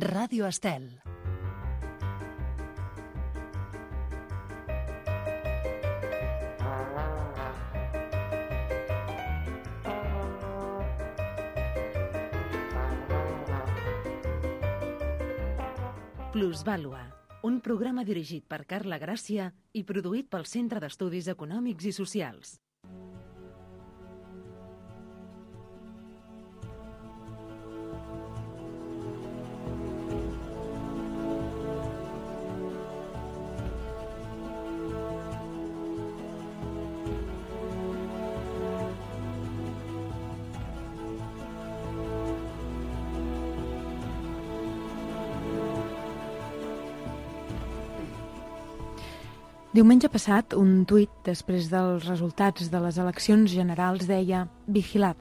Ràdio Estel. Plusvàlua, un programa dirigit per Carla Gràcia i produït pel Centre d'Estudis Econòmics i Socials. Diumenge passat, un tuit després dels resultats de les eleccions generals deia «Vigilad,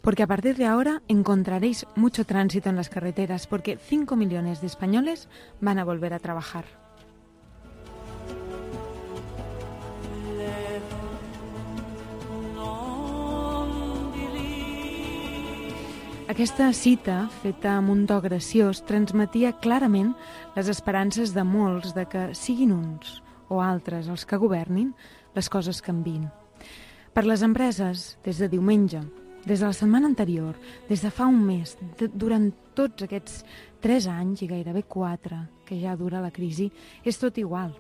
porque a partir de ahora encontraréis mucho tránsito en las carreteras porque 5 millones de españoles van a volver a trabajar». Aquesta cita, feta amb un to graciós, transmetia clarament les esperances de molts de que siguin uns o altres els que governin, les coses canvin. Per les empreses, des de diumenge, des de la setmana anterior, des de fa un mes, durant tots aquests 3 anys i gairebé 4 que ja dura la crisi, és tot igual.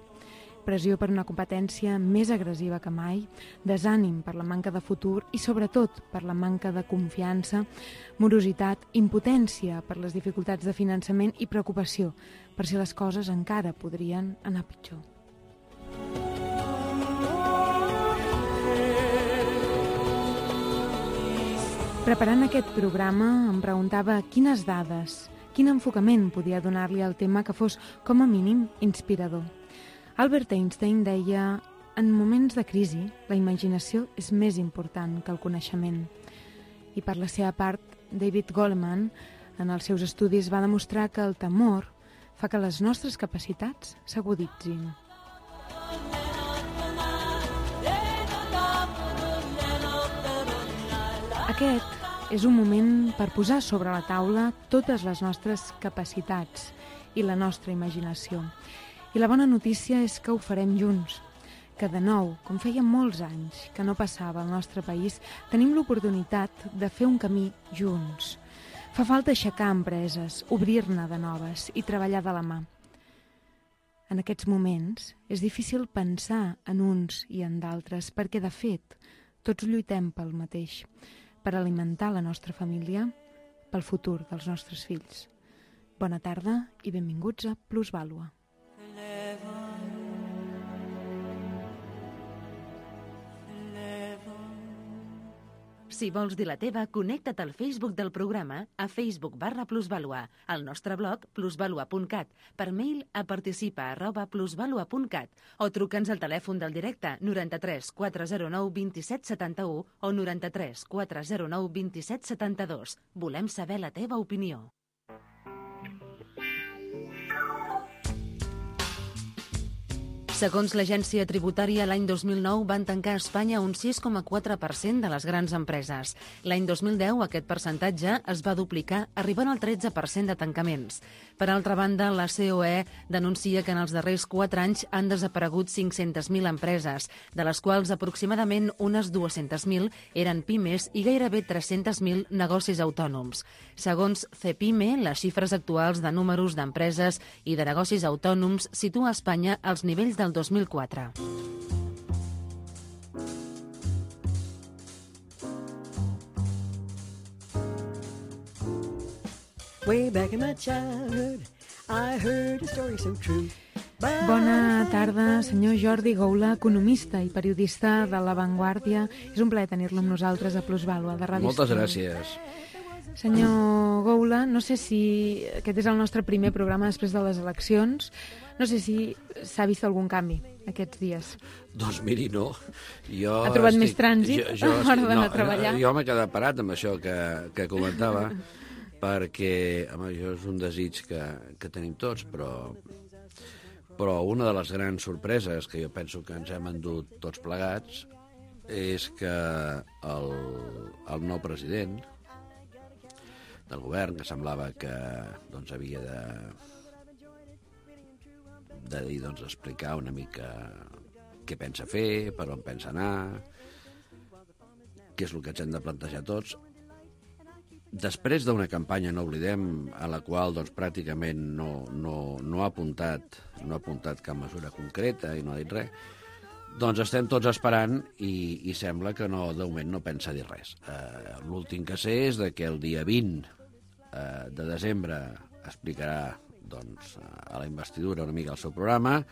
Pressió per una competència més agressiva que mai, desànim per la manca de futur i, sobretot, per la manca de confiança, morositat, impotència per les dificultats de finançament i preocupació per si les coses encara podrien anar pitjor. Preparant aquest programa em preguntava quines dades, quin enfocament podia donar-li al tema que fos, com a mínim, inspirador. Albert Einstein deia: en moments de crisi, la imaginació és més important que el coneixement. I per la seva part, David Goleman, en els seus estudis, va demostrar que el temor fa que les nostres capacitats s'aguditzin. Aquest és un moment per posar sobre la taula totes les nostres capacitats i la nostra imaginació. I la bona notícia és que ho farem junts, que de nou, com feia molts anys que no passava al nostre país, tenim l'oportunitat de fer un camí junts. Fa falta aixecar empreses, obrir-ne de noves i treballar de la mà. En aquests moments és difícil pensar en uns i en d'altres perquè, de fet, tots lluitem pel mateix, per alimentar la nostra família, pel futur dels nostres fills. Bona tarda i benvinguts a Plusvàlua. Si vols dir la teva, connecta't al Facebook del programa a facebook.com/plusvalua, al nostre blog plusvalua.cat, per mail a participa@plusvalua.cat o truca'ns al telèfon del directe 93 409 27 71 o 93 409 27 72. Volem saber la teva opinió. Segons l'agència tributària, l'any 2009 van tancar a Espanya un 6,4% de les grans empreses. L'any 2010 aquest percentatge es va duplicar, arribant al 13% de tancaments. Per altra banda, la COE denuncia que en els darrers 4 anys han desaparegut 500.000 empreses, de les quals aproximadament unes 200.000 eren pimes i gairebé 300.000 negocis autònoms. Segons Cepime, les xifres actuals de números d'empreses i de negocis autònoms situa Espanya als nivells del 2004. Way back in my childhood, I heard a story so true. Bona tarda, senyor Jordi Goula, economista i periodista de La Vanguardia. És un plaer tenir-lo amb nosaltres a Plusvàlua, de Ràdio Moltes Estel. gràcies. Senyor Goula, no sé si aquest és el nostre primer programa després de les eleccions. No sé si s'ha vist algun canvi aquests dies. Doncs miri, no. Jo Ha trobat més trànsit a l'hora d'anar a treballar? Jo m'he quedat parat amb això que comentava, perquè, home, això és un desig que tenim tots, però una de les grans sorpreses que jo penso que ens hem endut tots plegats és que el nou president del govern, que semblava que doncs, havia de dir, doncs, explicar una mica què pensa fer, per on pensa anar, què és el que ens hem de plantejar tots. Després d'una campanya, no oblidem, a la qual doncs, pràcticament no ha apuntat cap mesura concreta i no ha dit res, doncs estem tots esperant i sembla que de moment no pensa dir res. L'últim que sé és que el dia 20 de desembre explicarà doncs, a la investidura una mica el seu programa,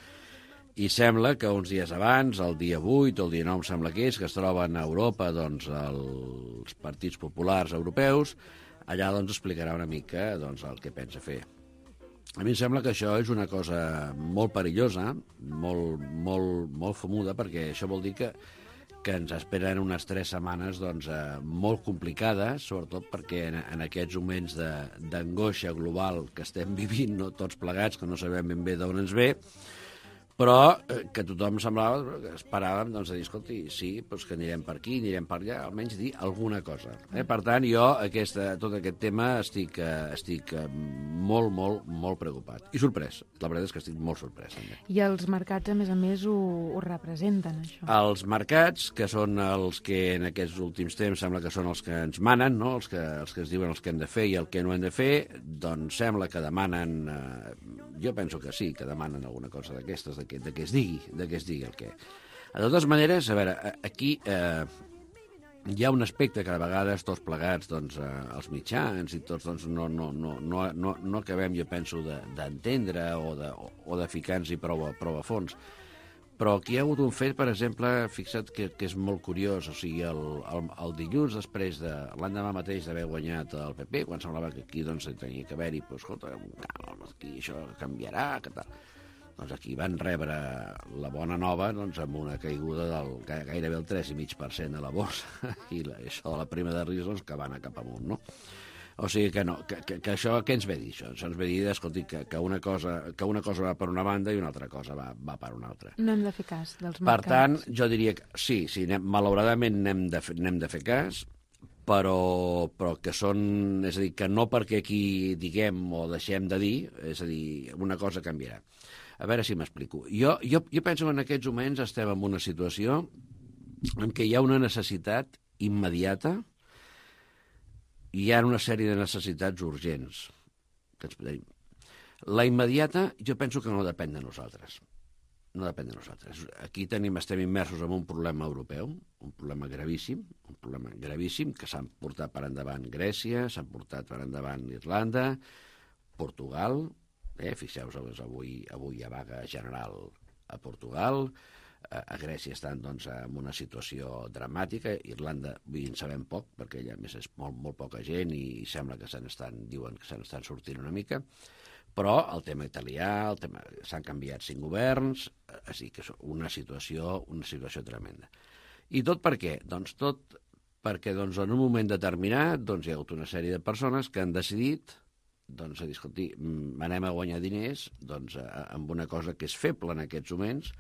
i sembla que uns dies abans, el dia 8 o el dia 9, sembla que es troben a Europa doncs, els partits populars europeus, allà doncs, explicarà una mica doncs, el que pensa fer. A mi em sembla que això és una cosa molt perillosa, molt famuda, perquè això vol dir que ens esperen unes 3 setmanes doncs, molt complicades, sobretot perquè en aquests moments d'angoixa global que estem vivint, no, tots plegats, que no sabem ben bé d'on ens ve, però que tothom semblava, que esperàvem doncs, de dir, escolti, sí, doncs que anirem per aquí, anirem per allà, almenys dir alguna cosa. Per tant, jo tot aquest tema estic molt preocupat. I sorprès, la veritat és que estic molt sorprès. També. I els mercats, a més, ho representen, això? Els mercats, que són els que en aquests últims temps sembla que són els que ens manen, no? els que ens diuen els que hem de fer i el que no hem de fer, doncs sembla que demanen, jo penso que sí, que demanen alguna cosa d'aquestes, de que es digui el que... De totes maneres, a veure, aquí hi ha un aspecte que a vegades tots plegats, doncs, els mitjans i tots doncs, no acabem, jo penso, d'entendre o de ficar-nos-hi prou a fons. Però aquí hi ha hagut un fet, per exemple, fixa't que és molt curiós, o sigui, el dilluns després l'endemà mateix d'haver guanyat el PP, quan semblava que aquí doncs, tenia que haver-hi, doncs, escolta, aquí això canviarà, que tal... Doncs aquí van rebre la bona nova doncs, amb una caiguda del gairebé el 3,5% de la borsa i això de la prima de risc doncs, que va anar cap amunt, no? O sigui que no, que això, què ens ve dir això? Això ens ve dir, escolti, que una cosa va per una banda i una altra cosa va per una altra. No hem de fer cas dels mercats. Per tant, jo diria que sí, malauradament n'hem de fer cas, però que són... És a dir, que no perquè aquí diguem o deixem de dir, és a dir, una cosa canviarà. A veure si m'explico. Jo penso que en aquests moments estem en una situació en què hi ha una necessitat immediata i hi ha una sèrie de necessitats urgents. La immediata jo penso que no depèn de nosaltres. No depèn de nosaltres. Aquí estem immersos en un problema europeu, un problema gravíssim, que s'han portat per endavant Grècia, s'han portat per endavant Irlanda, Portugal... Fixeu-vos, avui hi ha vaga general a Portugal, a Grècia estan doncs, en una situació dramàtica, Irlanda en sabem poc, perquè allà més és molt poca gent i sembla que diuen que se n'estan sortint una mica, però el tema italià, s'han canviat 5 governs, així que és una situació tremenda. I tot per què? Doncs tot perquè doncs, en un moment determinat doncs, hi ha hagut una sèrie de persones que han decidit doncs, a dir, escolti, anem a guanyar diners doncs, amb una cosa que és feble en aquests moments,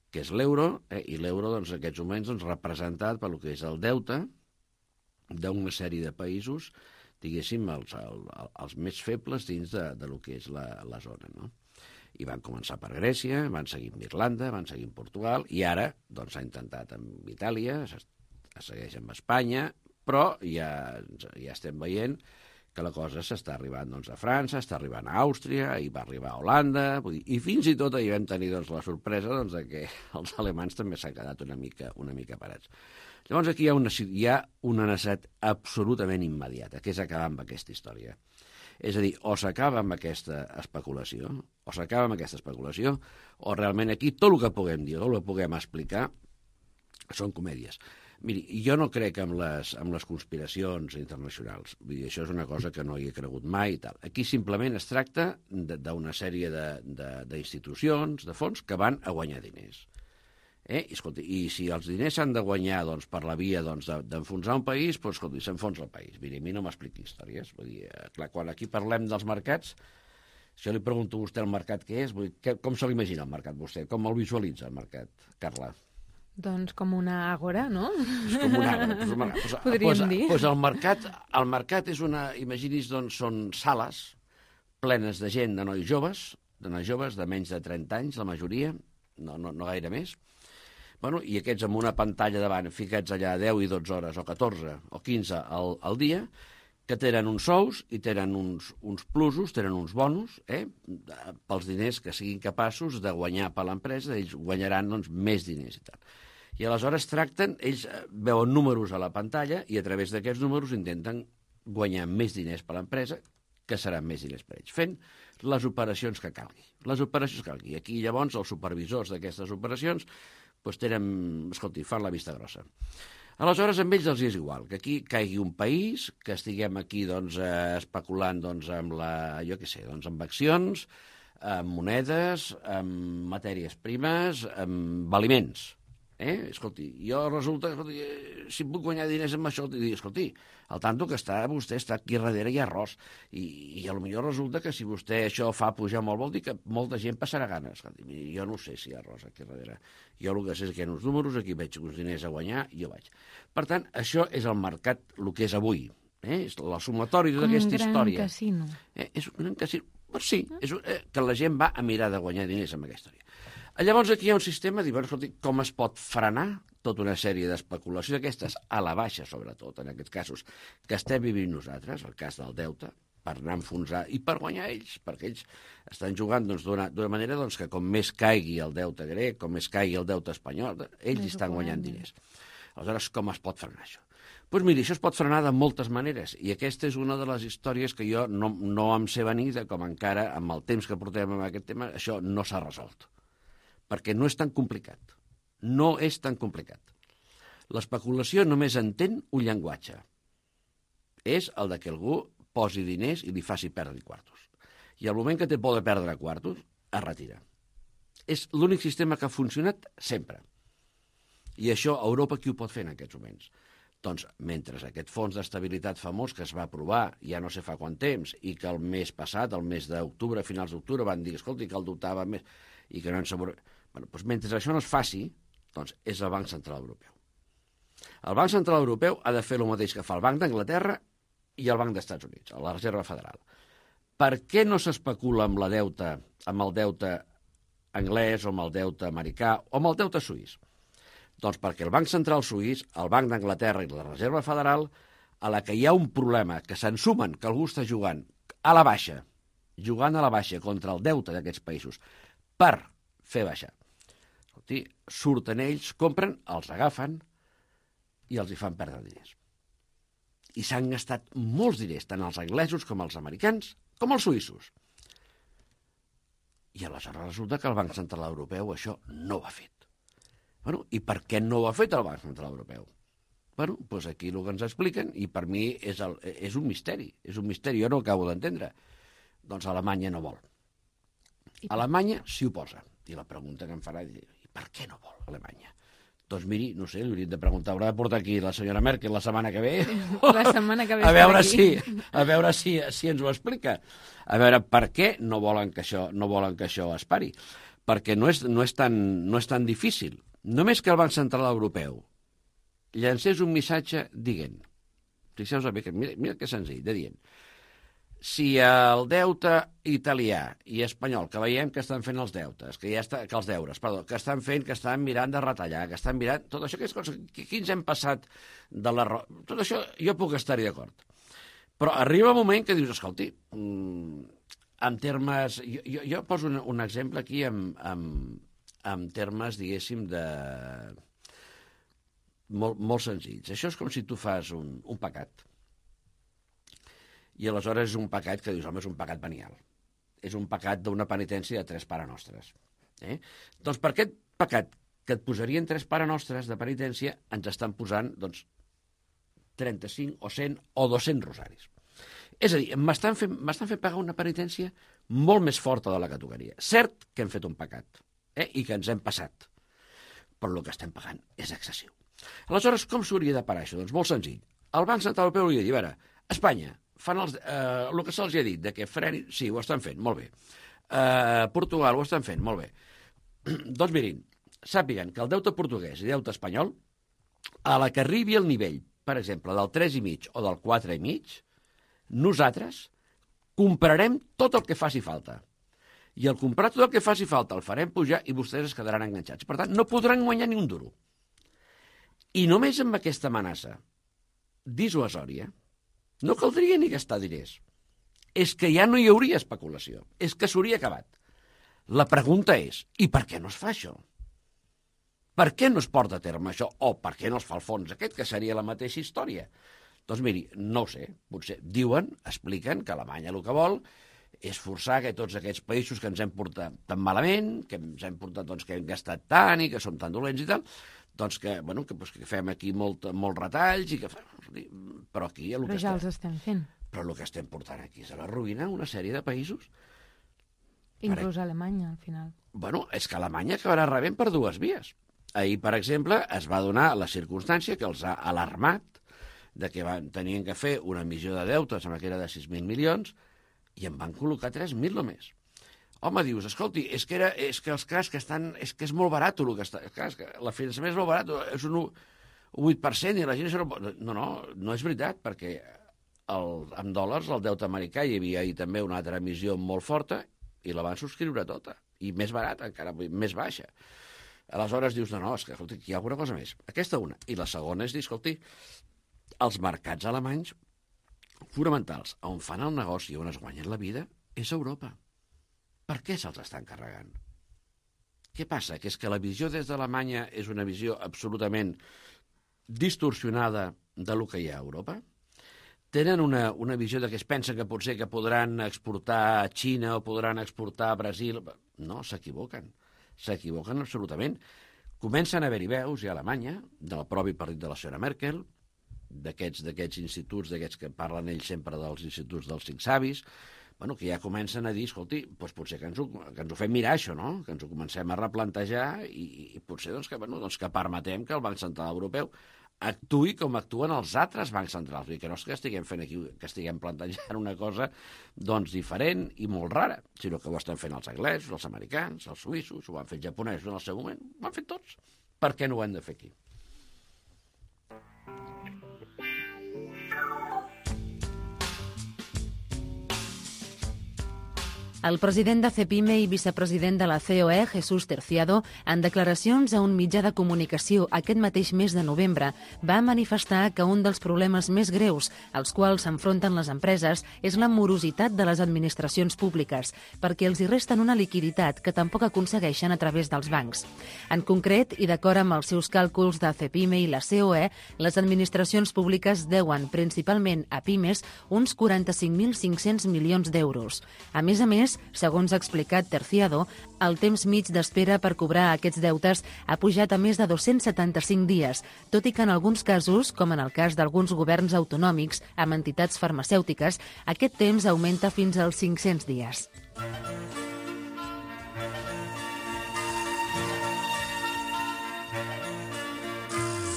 que és l'euro, i l'euro doncs, en aquests moments doncs, representat per el que és el deute d'una sèrie de països, diguéssim, els més febles dins de lo que és la zona, no? I van començar per Grècia, van seguir amb Irlanda, van seguir amb Portugal, i ara doncs, s'ha intentat amb Itàlia, es segueix amb Espanya, però ja estem veient que la cosa s'està arribant doncs, a França, està arribant a Àustria, i va arribar a Holanda, i fins i tot ahir vam tenir doncs, la sorpresa doncs, que els alemans també s'han quedat una mica parats. Llavors aquí hi ha una necessitat absolutament immediata, que és acabar amb aquesta història. És a dir, o s'acaba amb aquesta especulació, o realment aquí tot el que puguem dir, tot el que puguem explicar, són comèdies. Miri, jo no crec en les conspiracions internacionals. Vull dir, això és una cosa que no hi he cregut mai i tal. Aquí simplement es tracta d'una sèrie d'institucions, de fons, que van a guanyar diners. I si els diners s'han de guanyar doncs, per la via d'enfonsar un país, doncs, escolti, s'enfonsa el país. Miri, a mi no m'expliqui històries. Vull dir, clar, quan aquí parlem dels mercats, si jo li pregunto a vostè el mercat què és, com se l'imagina el mercat vostè? Com el visualitza el mercat, Carla? Doncs com una àgora, no? És com un arbre. Podríem dir. Pues el mercat és una... Imagini's, doncs, són sales plenes de gent, de nois joves, de menys de 30 anys, la majoria, no gaire més. Bueno, i aquests amb una pantalla davant, ficats allà 10 i 12 hores, o 14 o 15 al dia, que tenen uns sous i tenen uns plusos, tenen uns bonus, pels diners que siguin capaços de guanyar per l'empresa, ells guanyaran doncs, més diners i tal. I aleshores ells veuen números a la pantalla i a través d'aquests números intenten guanyar més diners per l'empresa, que seran més diners per ells, fent les operacions que calgui. I aquí llavors els supervisors d'aquestes operacions doncs fan la vista grossa. Aleshores, amb ells els és igual, que aquí caigui un país, que estiguem aquí doncs, especulant doncs, amb amb accions, amb monedes, amb matèries primes, amb aliments. Escolti, jo resulta, si puc guanyar diners amb això, escolti, al tanto que vostè està aquí darrere hi ha arròs, i potser resulta que si vostè això fa pujar molt, vol dir que molta gent passarà gana. Escolti, jo no sé si hi ha arròs aquí darrere. Jo el que sé és que hi ha uns números, aquí veig uns diners a guanyar, i jo vaig. Per tant, això és el mercat, el que és avui. És la sumatori d'aquesta història. Com un gran casino. És un gran casino. Pues sí, que la gent va a mirar de guanyar diners amb aquesta història. Llavors aquí hi ha un sistema de dir, escolti, com es pot frenar tota una sèrie d'especulacions aquestes, a la baixa sobretot, en aquests casos, que estem vivint nosaltres, el cas del deute, per anar a enfonsar i per guanyar ells, perquè ells estan jugant d'una manera que com més caigui el deute grec, com més caigui el deute espanyol, ells estan guanyant diners. Aleshores, com es pot frenar això? Doncs miri, això es pot frenar de moltes maneres, i aquesta és una de les històries que jo no em sé venir de com encara, amb el temps que portem amb aquest tema, això no s'ha resolt. Perquè no és tan complicat. No és tan complicat. L'especulació només entén un llenguatge. És el de que algú posi diners i li faci perdre quartos. I al moment que té por de perdre quartos, es retira. És l'únic sistema que ha funcionat sempre. I això a Europa qui ho pot fer en aquests moments? Doncs mentre aquest fons d'estabilitat famós que es va aprovar ja no sé fa quant temps i que el mes passat, el mes d'octubre, a finals d'octubre, van dir, escolti, que el dotava més i que no ens... doncs mentre això no es faci, doncs és el Banc Central Europeu. El Banc Central Europeu ha de fer el mateix que fa el Banc d'Anglaterra i el Banc dels Estats Units, la Reserva Federal. Per què no s'especula amb el deute anglès o amb el deute americà o amb el deute suís? Doncs perquè el Banc Central Suís, el Banc d'Anglaterra i la Reserva Federal, a la que hi ha un problema, que s'ensumen que algú està jugant a la baixa contra el deute d'aquests països per fer baixar. Surten ells, compren, els agafen i els hi fan perdre diners. I s'han gastat molts diners, tant els anglesos com els americans, com els suïssos. I aleshores resulta que el Banc Central Europeu això no ho ha fet. I per què no ho ha fet el Banc Central Europeu? Doncs aquí el que ens expliquen, i per mi és un misteri, jo no ho acabo d'entendre. Doncs Alemanya no vol. Alemanya s'hi oposa. I la pregunta que em farà és, i per què no vol Alemanya? Doncs miri, no sé, li hauríem de preguntar, haurà de portar aquí la senyora Merkel la setmana que ve? La setmana que ve a veure si ens ho explica. A veure per què no volen que això es pari. Perquè no és tan difícil. Només que el Banc Central Europeu llancés un missatge dient, fixeu-vos bé, mira que senzill, de dient, si el deute italià i espanyol, que veiem que estan fent els deutes, que estan mirant de retallar, que estan mirant... Tot això, aquí ens hem passat de la... Tot això jo puc estar-hi d'acord. Però arriba un moment que dius, escolti, en termes... Jo poso un exemple aquí en termes, diguéssim, de... molt senzills. Això és com si tu fas un pecat. I aleshores és un pecat que dius, home, és un pecat venial. És un pecat d'una penitència de 3 parenostres. Doncs per aquest pecat que et posarien 3 parenostres de penitència ens estan posant, 35 o 100 o 200 rosaris. És a dir, m'estan fent pagar una penitència molt més forta de la que tocaria. Cert que hem fet un pecat, i que ens hem passat, però el que estem pagant és excessiu. Aleshores, com s'hauria de parar això? Doncs molt senzill. El Banc Central Europeu hauria de dir, a veure, Espanya, fan el que se'ls ha dit, de que freni... Sí, ho estan fent, molt bé. Portugal ho estan fent, molt bé. Doncs mirin, sàpiguen que el deute portuguès i deute espanyol, a la que arribi el nivell, per exemple, del 3,5 o del 4,5, nosaltres comprarem tot el que faci falta. I al comprar tot el que faci falta el farem pujar i vostès es quedaran enganxats. Per tant, no podran guanyar ni un duro. I només amb aquesta amenaça dissuasòria no caldria ni gastar diners. És que ja no hi hauria especulació. És que s'hauria acabat. La pregunta és, i per què no es fa això? Per què no es porta a terme això? O per què no es fa el fons aquest, que seria la mateixa història? Doncs miri, no ho sé. Potser diuen, expliquen que Alemanya el que vol és forçar que tots aquests països que ens hem portat tan malament, que ens hem portat, doncs, que hem gastat tant i que som tan dolents i tal, doncs que, bueno, que fem aquí molts retalls i que... Però aquí... Però ja els estem fent. Però el que estem portant aquí és a la ruïna una sèrie de països. Inclús Alemanya, al final. Bueno, és que Alemanya acabarà rebent per dues vies. Ahir, per exemple, es va donar la circumstància que els ha alarmat de que tenien que fer una emissió de deute, sembla que era de 6.000 milions, i en van col·locar 3.000 només. Home, dius, escolti, és que els cas que estan... És que és molt barat el que està... És que la finançament és molt barat, és un 8% i la gent... No és veritat, perquè en dòlars el deute americà hi havia ahir també una altra emissió molt forta i la van subscriure tota. I més barata, encara més baixa. Aleshores dius, no, és que, escolti, hi ha alguna cosa més. Aquesta una. I la segona és dir, escolti, els mercats alemanys fonamentals, on fan el negoci, on es guanyen la vida, és Europa. Per què se'ls estan carregant? Què passa? Que és que la visió des d'Alemanya és una visió absolutament distorsionada de lo que hi ha a Europa? Tenen una visió de que es pensen que potser que podran exportar a Xina o podran exportar a Brasil? No, s'equivoquen. S'equivoquen absolutament. Comencen a haver-hi veus, i a Alemanya, del propi partit de la senyora Merkel, d'aquests instituts, d'aquests que parlen ells sempre dels instituts dels cinc savis, bueno, que ja comencen a dir, escolti, doncs potser que ens ho fem mirar, això, no? Que ens ho comencem a replantejar i potser que permetem que el Banc Central Europeu actuï com actuen els altres bancs centrals, i que no és que estiguem fent aquí, que estiguem plantejant una cosa doncs diferent i molt rara, sinó que ho estan fent els anglesos, els americans, els suïssos, ho van fer els japonesos en el seu moment, ho han fet tots. Per què no ho hem de fer aquí? El president de CEPIME i vicepresident de la COE, Jesús Terciado, en declaracions a un mitjà de comunicació aquest mateix mes de novembre, va manifestar que un dels problemes més greus als quals s'enfronten les empreses és la morositat de les administracions públiques, perquè els hi resten una liquiditat que tampoc aconsegueixen a través dels bancs. En concret, i d'acord amb els seus càlculs de CEPIME i la COE, les administracions públiques deuen principalment a pimes uns 45.500 milions d'euros. A més, segons ha explicat Terciado, el temps mig d'espera per cobrar aquests deutes ha pujat a més de 275 dies, tot i que en alguns casos, com en el cas d'alguns governs autonòmics amb entitats farmacèutiques, aquest temps augmenta fins als 500 dies.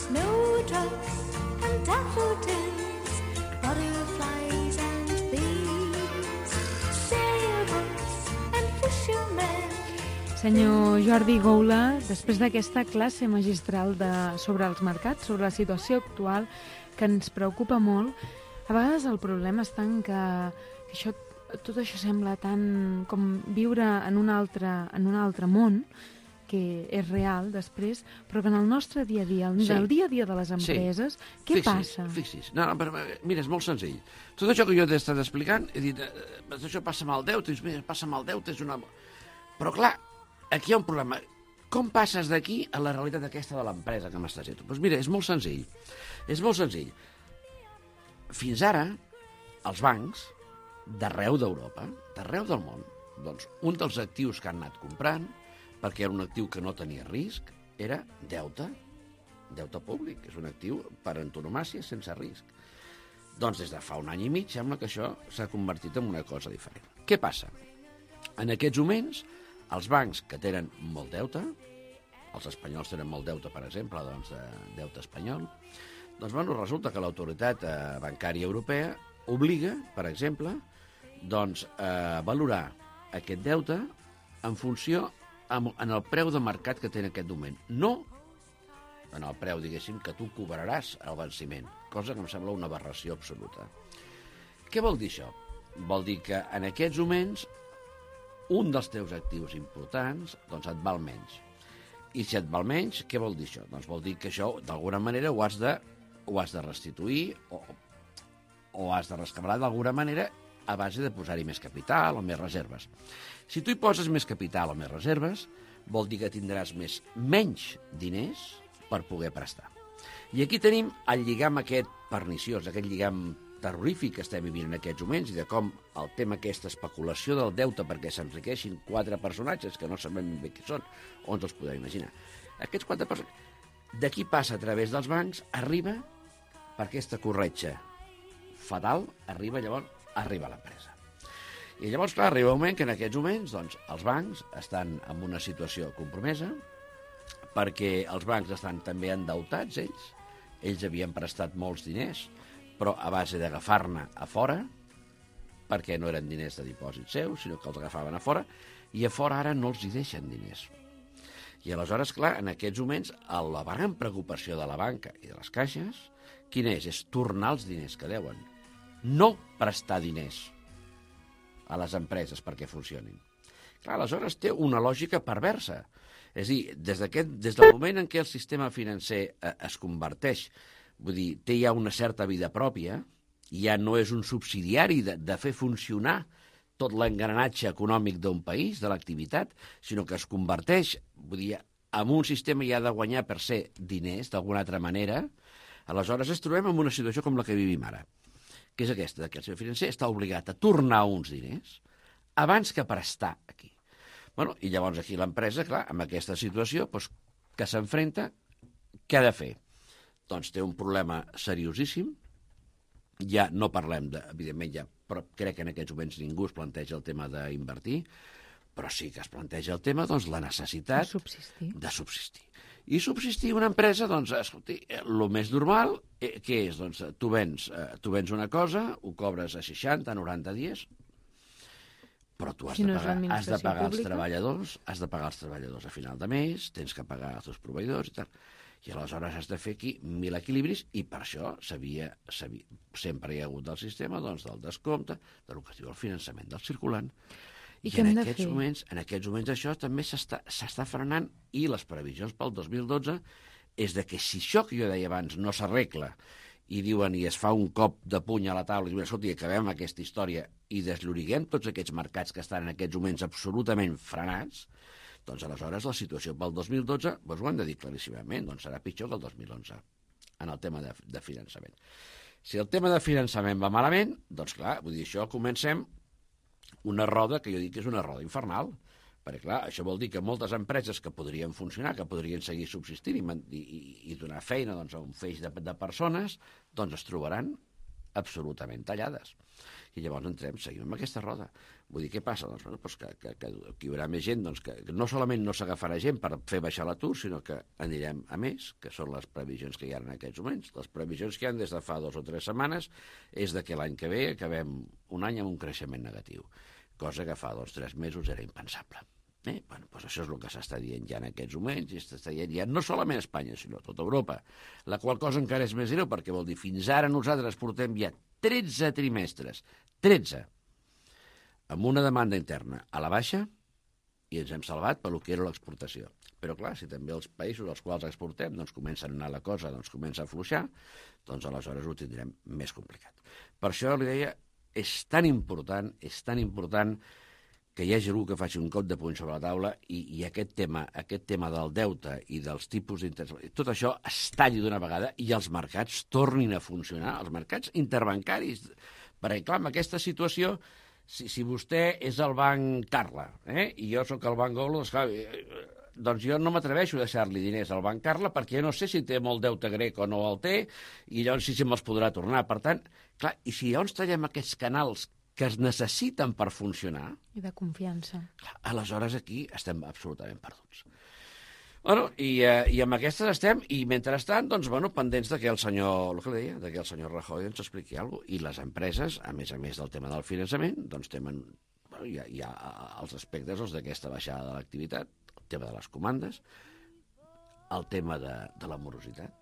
Snowdrops and daffodils, butterflies and bees, sailboats and fishermen. Senyor Jordi Goula, després d'aquesta classe magistral sobre els mercats, sobre la situació actual, que ens preocupa molt, a vegades el problema està en que tot això sembla tan com viure en un altre món, que és real després, però que en el nostre dia a dia, el dia a dia de les empreses, què passa? Fixi's. No, mira, és molt senzill. Tot això que jo t'he estat explicant, he dit, això passa amb el deute, dius, mira, passa amb el deute, és una... Però clar, aquí hi ha un problema. Com passes d'aquí a la realitat aquesta de l'empresa que m'estàs dient? Doncs mira, és molt senzill. És molt senzill. Fins ara, els bancs, d'arreu d'Europa, d'arreu del món, doncs un dels actius que han anat comprant, perquè era un actiu que no tenia risc, era deute públic, és un actiu per antonomàsia sense risc. Doncs des de fa un any i mig sembla que això s'ha convertit en una cosa diferent. Què passa? En aquests moments, els bancs que tenen molt deute, els espanyols tenen molt deute, per exemple, doncs de deute espanyol, doncs resulta que l'autoritat bancària europea obliga, per exemple, doncs, a valorar aquest deute en funció en el preu de mercat que té en aquest moment. No en el preu, diguéssim, que tu cobraràs al venciment, cosa que em sembla una aberració absoluta. Què vol dir això? Vol dir que en aquests moments un dels teus actius importants doncs et val menys. I si et val menys, què vol dir això? Doncs vol dir que això, d'alguna manera, ho has de restituir o has de rescabalar d'alguna manera a base de posar-hi més capital o més reserves. Si tu hi poses més capital o més reserves, vol dir que tindràs menys diners per poder prestar. I aquí tenim el lligam aquest perniciós, aquest lligam terrorífic que estem vivint en aquests moments i de com el tema aquesta especulació del deute perquè s'enriqueixin 4 personatges que no sabem bé qui són, on els podem imaginar. Aquests 4 personatges, d'aquí passa a través dels bancs, arriba per aquesta corretja fatal, arriba a l'empresa. I llavors, clar, arriba un moment que en aquests moments doncs, els bancs estan en una situació compromesa perquè els bancs estan també endeutats, ells havien prestat molts diners, però a base d'agafar-ne a fora, perquè no eren diners de dipòsit seus, sinó que els agafaven a fora, i a fora ara no els hi deixen diners. I aleshores, clar, en aquests moments, la gran preocupació de la banca i de les caixes, quina és? És tornar els diners que deuen. No prestar diners a les empreses perquè funcionin. Clar, aleshores té una lògica perversa. És a dir, des del moment en què el sistema financer es converteix, vull dir, té ja una certa vida pròpia, ja no és un subsidiari de fer funcionar tot l'engranatge econòmic d'un país, de l'activitat, sinó que es converteix, vull dir, en un sistema ja de guanyar per ser diners, d'alguna altra manera, aleshores ens trobem en una situació com la que vivim ara, que és aquesta, que el sistema financer està obligat a tornar uns diners abans que prestar aquí. Bueno, i llavors aquí l'empresa, clar, amb aquesta situació doncs, que s'enfrenta, què ha de fer? Doncs té un problema seriosíssim, ja no parlem, evidentment, però crec que en aquests moments ningú es planteja el tema d'invertir, però sí que es planteja el tema, doncs, la necessitat de subsistir. I subsistir una empresa, doncs, escolti, el més normal, què és? Doncs tu vens una cosa, ho cobres a 60, 90 dies, però tu has de pagar els treballadors, a final de mes, tens que pagar els teus proveïdors i tal. I aleshores has de fer aquí 1000 equilibris i per això sempre hi ha hagut del sistema doncs, del descompte, del que es diu el finançament del circulant. I en aquests moments això també s'està frenant i les previsions pel 2012 és de que si això que jo deia abans no s'arregla i diuen i es fa un cop de puny a la taula i diuen, escolta, acabem aquesta història i deslloriguem tots aquests mercats que estan en aquests moments absolutament frenats, doncs aleshores la situació pel 2012, doncs ho hem de dir claríssimament, doncs serà pitjor que el 2011 en el tema de finançament. Si el tema de finançament va malament, doncs clar, vull dir, això comencem una roda que jo dic que és una roda infernal, perquè clar, això vol dir que moltes empreses que podrien funcionar, que podrien seguir subsistint i donar feina doncs, a un feix de persones, doncs es trobaran absolutament tallades. I llavors seguim amb aquesta roda. Vull dir, què passa? Doncs, que hi haurà més gent doncs, que no solament no s'agafarà gent per fer baixar l'atur, sinó que anirem a més, que són les previsions que hi ha en aquests moments. Les previsions que hi ha des de fa 2 o 3 setmanes és de que l'any que ve acabem un any amb un creixement negatiu, cosa que fa 2 o 3 mesos era impensable. Bueno, doncs això és el que s'està dient ja en aquests moments, i s'està dient ja no solament a Espanya, sinó a tota Europa, la qual cosa encara és més greu, perquè vol dir, fins ara nosaltres portem ja 13 trimestres, 13, amb una demanda interna a la baixa, i ens hem salvat pel que era l'exportació. Però clar, si també els països als quals exportem doncs comencen a anar la cosa, doncs comença a afluixar, doncs aleshores ho tindrem més complicat. Per això li deia, és tan important que hi hagi algú que faci un cop de puny sobre la taula i aquest tema del deute i dels tipus d'interès, tot això es talli d'una vegada i els mercats tornin a funcionar, els mercats interbancaris. Perquè, clar, en aquesta situació, si vostè és el banc Carla i jo sóc el banc Golo, doncs jo no m'atreveixo a deixar-li diners al banc Carla perquè jo no sé si té molt deute grec o no el té i llavors si me'ls podrà tornar. Per tant, clar, i si llavors tallem aquests canals que es necessiten per funcionar... I de confiança. Aleshores aquí estem absolutament perduts. Bueno, i amb aquestes estem, i mentrestant, doncs, bueno, pendents de que el senyor, el que deia, de que el senyor Rajoy ens expliqui alguna cosa. I les empreses, a més del tema del finançament, doncs tenen, bueno, hi ha els aspectes d'aquesta baixada de l'activitat, tema de les comandes, el tema de la morositat.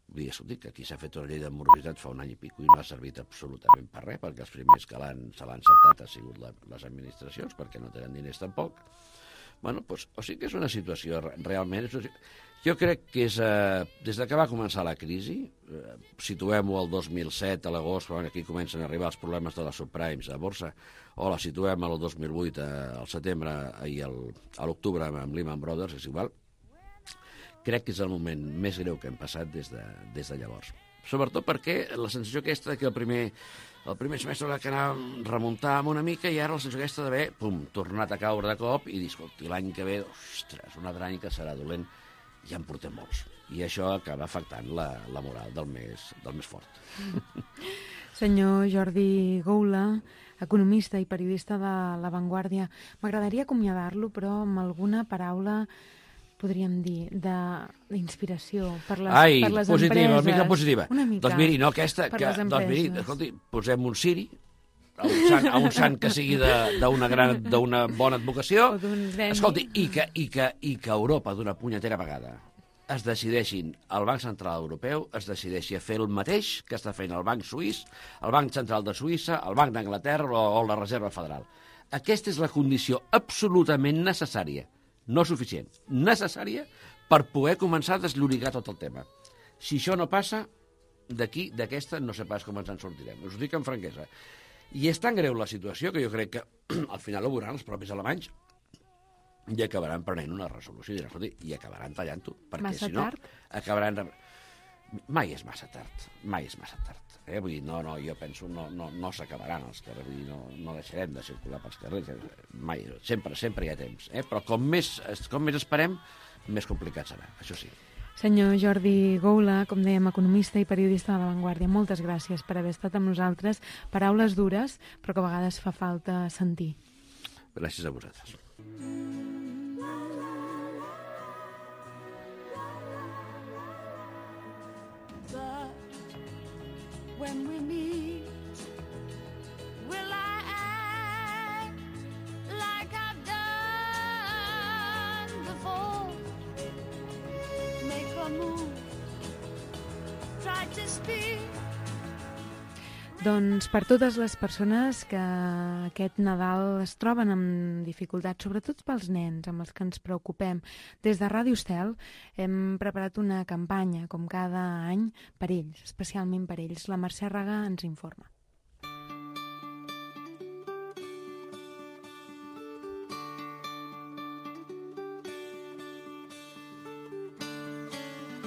Vull dir, escolti, que aquí s'ha fet una llei de morositat fa un any i pico i no ha servit absolutament per res, perquè els primers que se l'han saltat ha sigut les administracions, perquè no tenen diners tampoc. Bueno, doncs, o sigui que és una situació realment... Jo crec que és... Des que va començar la crisi, situem-ho al 2007, a l'agost, quan aquí comencen a arribar els problemes de les subprimes a borsa, o la situem al 2008, al setembre, i a l'octubre amb Lehman Brothers, és igual, crec que és el moment més greu que hem passat des de llavors. Sobretot perquè la sensació aquesta que el primer semestre va anar remuntant una mica i ara la sensació aquesta d'haver, tornat a caure de cop i dir, escolti, l'any que ve, ostres, un altre any que serà dolent, ja en portem molts. I això acaba afectant la moral del més fort. Senyor Jordi Goula, economista i periodista de La Vanguardia, m'agradaria acomiadar-lo, però amb alguna paraula, podríem dir, d'inspiració per les positiva, empreses. una mica positiva. Una mica. Doncs miri, no aquesta, doncs miri, escolti, posem un ciri, a un sant que sigui d'una bona advocació, escolti, i que Europa d'una punyetera vegada es decideixin, el Banc Central Europeu es decideixi a fer el mateix que està fent el Banc Suís, el Banc Central de Suïssa, el Banc d'Anglaterra o la Reserva Federal. Aquesta és la condició absolutament necessària, no suficient, necessària per poder començar a desllorigar tot el tema. Si això no passa, d'aquesta no sé pas com ens en sortirem. Us ho dic amb franquesa. I és tan greu la situació que jo crec que al final ho veuran els propis alemanys i acabaran prenent una resolució i acabaran tallant-ho. Perquè massa si no, tard? acabaran... Mai és massa tard, mai és massa tard. Vull dir, no, jo penso, no s'acabaran els carrers, vull dir, no deixarem de circular pels carrers, mai, sempre hi ha temps. Però com més esperem, més complicat serà, això sí. Senyor Jordi Goula, com dèiem, economista i periodista de La Vanguardia, moltes gràcies per haver estat amb nosaltres. Paraules dures, però que a vegades fa falta sentir. Gràcies a vosaltres. When we meet, will I act like I've done before? Make a move, try to speak. Doncs per totes les persones que aquest Nadal es troben amb dificultats, sobretot pels nens amb els que ens preocupem, des de Ràdio Estel hem preparat una campanya, com cada any, per ells, especialment per ells. La Mercè Raga ens informa.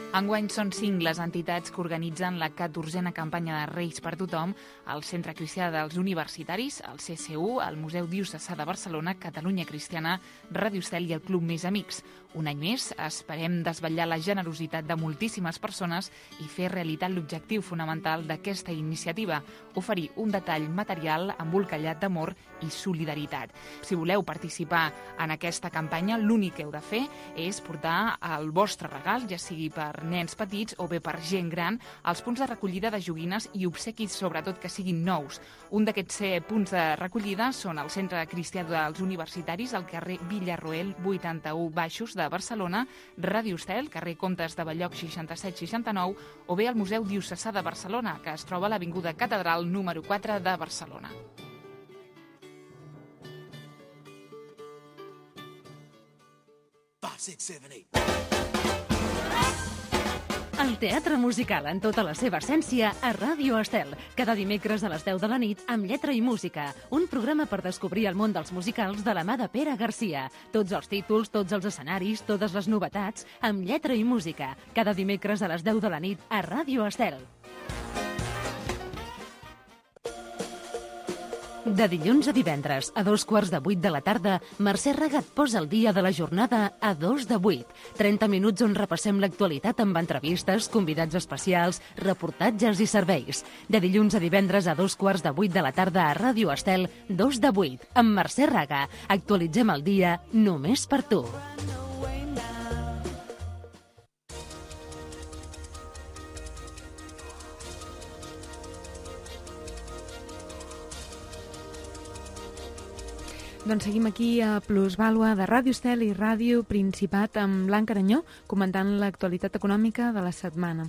Enguany són 5 les entitats que organitzen la 14a campanya de Reis per tothom, el Centre Cristià dels Universitaris, el CCU, el Museu Diocesà de Barcelona, Catalunya Cristiana, Ràdio Estel i el Club Més Amics. Un any més esperem desvetllar la generositat de moltíssimes persones i fer realitat l'objectiu fonamental d'aquesta iniciativa, oferir un detall material embolcallat d'amor i solidaritat. Si voleu participar en aquesta campanya, l'únic que heu de fer és portar el vostre regal, ja sigui per nens petits o bé per gent gran, als punts de recollida de joguines i obsequis, sobretot que siguin nous. Un d'aquests punts de recollida són el Centre Cristià dels Universitaris, al carrer Villarroel 81 Baixos de Barcelona, Ràdio Estel, carrer Comtes de Balloc 6769, o bé el Museu Diocesà de Barcelona, que es troba a l'Avinguda Catedral número 4 de Barcelona. El teatre musical en tota la seva essència a Ràdio Estel. Cada dimecres a les 10 de la nit amb lletra i música. Un programa per descobrir el món dels musicals de la mà de Pere Garcia. Tots els títols, tots els escenaris, totes les novetats amb lletra i música. Cada dimecres a les 10 de la nit a Ràdio Estel. De dilluns a divendres, a 7:15 de la tarda, Mercè Raga et posa el dia de la jornada a 2:08. 30 minuts on repassem l'actualitat amb entrevistes, convidats especials, reportatges i serveis. De dilluns a divendres a 7:15 de la tarda a Ràdio Estel, 2:08, amb Mercè Raga. Actualitzem el dia només per tu. Doncs seguim aquí a Plusvàlua de Ràdio Estel i Ràdio Principat amb Blanca Aranyó comentant l'actualitat econòmica de la setmana.